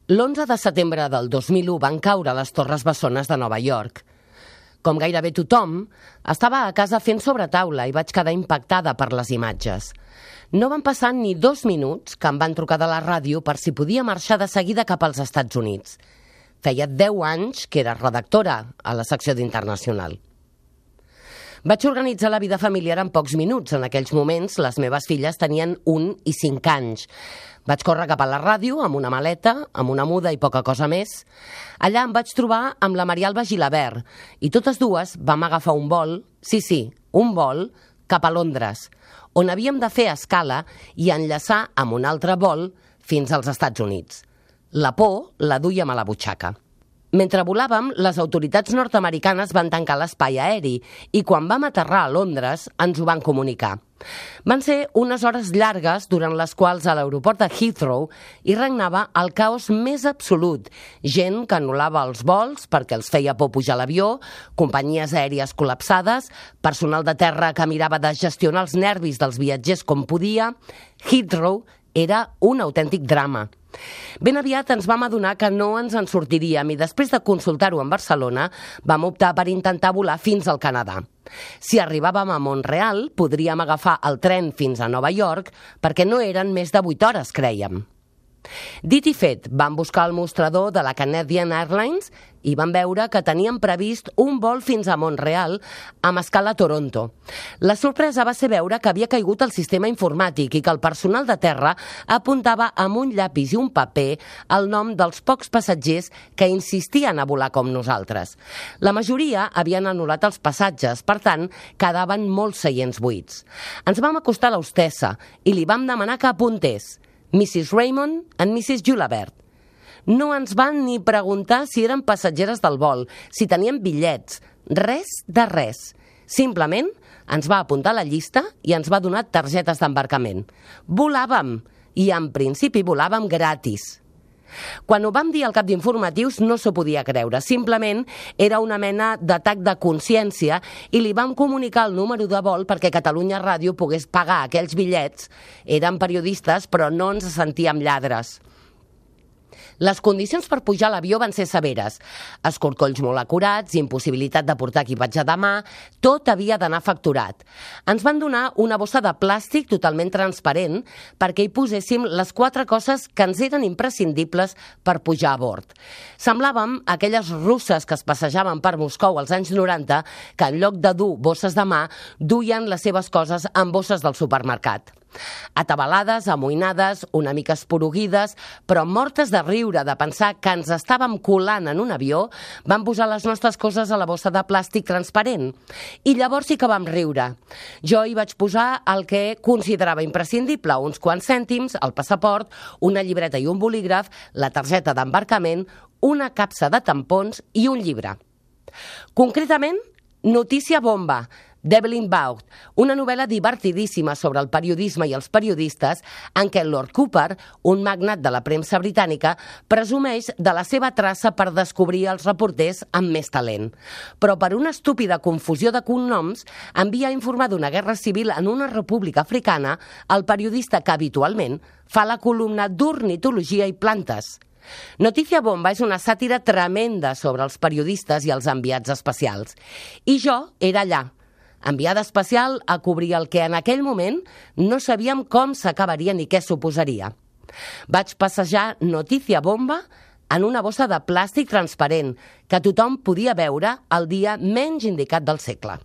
L'11 de setembre del 2001 van caure les Torres Bessones de Nova York. Com gairebé tothom, estava a casa fent sobretaula i vaig quedar impactada per les imatges. No van passar ni 2 minuts que em van trucar de la ràdio per si podia marxar de seguida cap als Estats Units. Feia 10 anys que era redactora a la secció d'Internacional. Vaig organitzar la vida familiar en pocs minuts. En aquells moments, les meves filles tenien 1 i 5 anys. Vaig córrer cap a la ràdio amb una maleta, amb una muda i poca cosa més. Allà em vaig trobar amb la Marialba Gilabert i totes dues vam agafar un vol, un vol, cap a Londres, on havíem de fer escala i enllaçar amb un altre vol fins als Estats Units. La por la duíem a la butxaca. Mentre volàvem, les autoritats nord-americanes van tancar l'espai aeri i quan vam aterrar a Londres ens ho van comunicar. Van ser unes hores llargues durant les quals a l'aeroport de Heathrow hi regnava el caos més absolut. Gent que anul·lava els vols perquè els feia por pujar a l'avió, companyies aèries col·lapsades, personal de terra que mirava de gestionar els nervis dels viatgers com podia. Heathrow era un autèntic drama. Ben aviat ens vam adonar que no ens en sortiríem i després de consultar-ho en Barcelona vam optar per intentar volar fins al Canadà. Si arribàvem a Mont-real podríem agafar el tren fins a Nova York perquè no eren més de 8 hores, crèiem. Dit i fet, vam buscar el mostrador de la Canadian Airlines i vam veure que tenien previst un vol fins a Mont-real amb escala a Toronto. La sorpresa va ser veure que havia caigut el sistema informàtic i que el personal de terra apuntava amb un llapis i un paper el nom dels pocs passatgers que insistien a volar com nosaltres. La majoria havien anul·lat els passatges, per tant, quedaven molts seients buits. Ens vam acostar a l'hostessa i li vam demanar que apuntés Mrs. Raymond and Mrs. Gilabert. No ens van ni preguntar si eren passatgeres del vol, si tenien bitllets, res de res. Simplement ens va apuntar a la llista i ens va donar targetes d'embarcament. Volàvem, i en principi volàvem gratis. Quan ho vam dir al cap d'informatius no s'ho podia creure, simplement era una mena d'atac de consciència i li vam comunicar el número de vol perquè Catalunya Ràdio pogués pagar aquells bitllets. Érem periodistes però no ens sentíem lladres. Les condicions per pujar a l'avió van ser severes. Escorcolls molt acurats, impossibilitat de portar equipatge de mà, tot havia d'anar facturat. Ens van donar una bossa de plàstic totalment transparent perquè hi poséssim les 4 coses que ens eren imprescindibles per pujar a bord. Semblàvem aquelles russes que es passejaven per Moscou als anys 90 que en lloc de dur bosses de mà duien les seves coses en bosses del supermercat. Atabalades, amoïnades, una mica esporuguides, però mortes de riure de pensar que ens estàvem colant en un avió, vam posar les nostres coses a la bossa de plàstic transparent. I llavors sí que vam riure. Jo hi vaig posar el que considerava imprescindible, uns quants cèntims, el passaport, una llibreta i un bolígraf, la targeta d'embarcament, una capsa de tampons i un llibre. Concretament, Notícia bomba, d'Evelyn Waugh, una novel·la divertidíssima sobre el periodisme i els periodistes en què Lord Cooper, un magnat de la premsa britànica, presumeix de la seva traça per descobrir els reporters amb més talent. Però per una estúpida confusió de cognoms envia a informar d'una guerra civil en una república africana el periodista que habitualment fa la columna d'ornitologia i plantes. Notícia bomba és una sàtira tremenda sobre els periodistes i els enviats especials. I jo era allà, enviada especial a cobrir el que en aquell moment no sabíem com s'acabaria ni què suposaria. Vaig passejar Notícia bomba en una bossa de plàstic transparent que tothom podia veure el dia menys indicat del segle.